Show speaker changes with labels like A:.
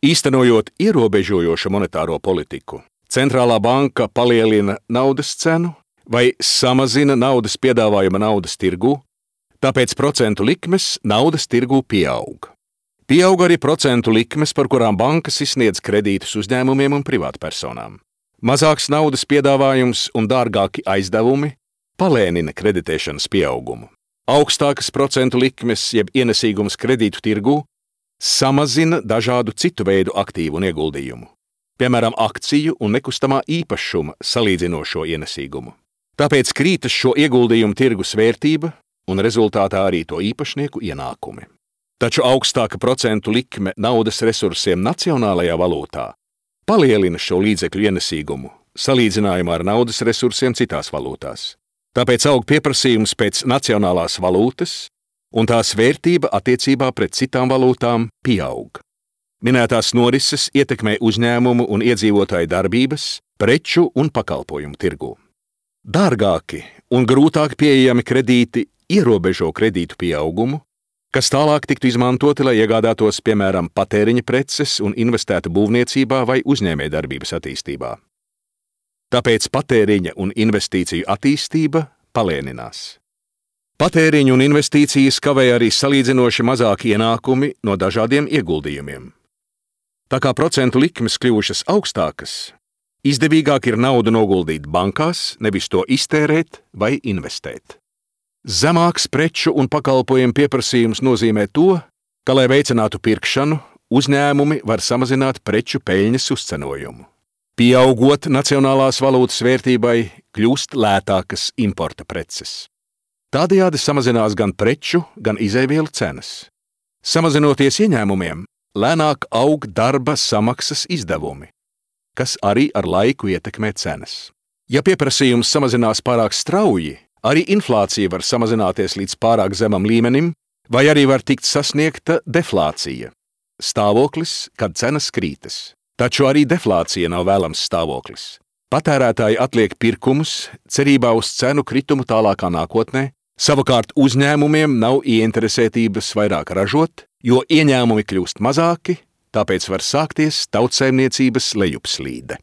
A: Īstenojot ierobežojošu monetāro politiku, centrālā banka palielina naudas cenu vai samazina naudas piedāvājuma naudas tirgū, tāpēc procentu likmes naudas tirgū pieaug. Pieaug arī procentu likmes, par kurām bankas izsniedz kredītus uzņēmumiem un privātpersonām. Mazāks naudas piedāvājums un dārgāki aizdevumi palēnina kreditēšanas pieaugumu. Augstākas procentu likmes jeb ienesīgums kredītu tirgū samazina dažādu citu veidu aktīvu un ieguldījumu, piemēram, akciju un nekustamā īpašuma salīdzinošo ienesīgumu. Tāpēc krītas šo ieguldījumu tirgus vērtība un rezultātā arī to īpašnieku ienākumi. Taču augstāka procentu likme naudas resursiem nacionālajā valūtā palielina šo līdzekļu ienesīgumu salīdzinājumā ar naudas resursiem citās valūtās. Tāpēc aug pieprasījums pēc nacionālās valūtas, un tās vērtība attiecībā pret citām valūtām pieaug. Minētās norises ietekmē uzņēmumu un iedzīvotāju darbības, preču un pakalpojumu tirgū. Dārgāki un grūtāk pieejami kredīti ierobežo kredītu pieaugumu, kas tālāk tiktu izmantoti, lai iegādātos, piemēram, patēriņa preces un investētu būvniecībā vai uzņēmējdarbības attīstībā. Tāpēc patēriņa un investīciju attīstība palēninās. Patēriņu un investīcijas kavē arī salīdzinoši mazāki ienākumi no dažādiem ieguldījumiem. Tā kā procentu likmes kļuvušas augstākas, izdevīgāk ir naudu noguldīt bankās, nevis to iztērēt vai investēt. Zemāks preču un pakalpojumu pieprasījums nozīmē to, ka, lai veicinātu pirkšanu, uzņēmumi var samazināt preču peļņas uzcenojumu. Pieaugot nacionālās valūtas vērtībai, kļūst lētākas importa preces. Tādējādi samazinās gan preču, gan izēvielu cenas. Samazinoties ieņēmumiem, lēnāk aug darba samaksas izdevumi, kas arī ar laiku ietekmē cenas. Ja pieprasījums samazinās pārāk strauji, arī inflācija var samazināties līdz pārāk zemam līmenim, vai arī var tikt sasniegta deflācija – stāvoklis, kad cenas krītas. Taču arī deflācija nav vēlams stāvoklis. Patērētāji atliek pirkumus cerībā uz cenu kritumu tālākā nākotnē, savukārt uzņēmumiem nav ieinteresētības vairāk ražot, jo ieņēmumi kļūst mazāki, tāpēc var sākties tautsaimniecības lejupslīde.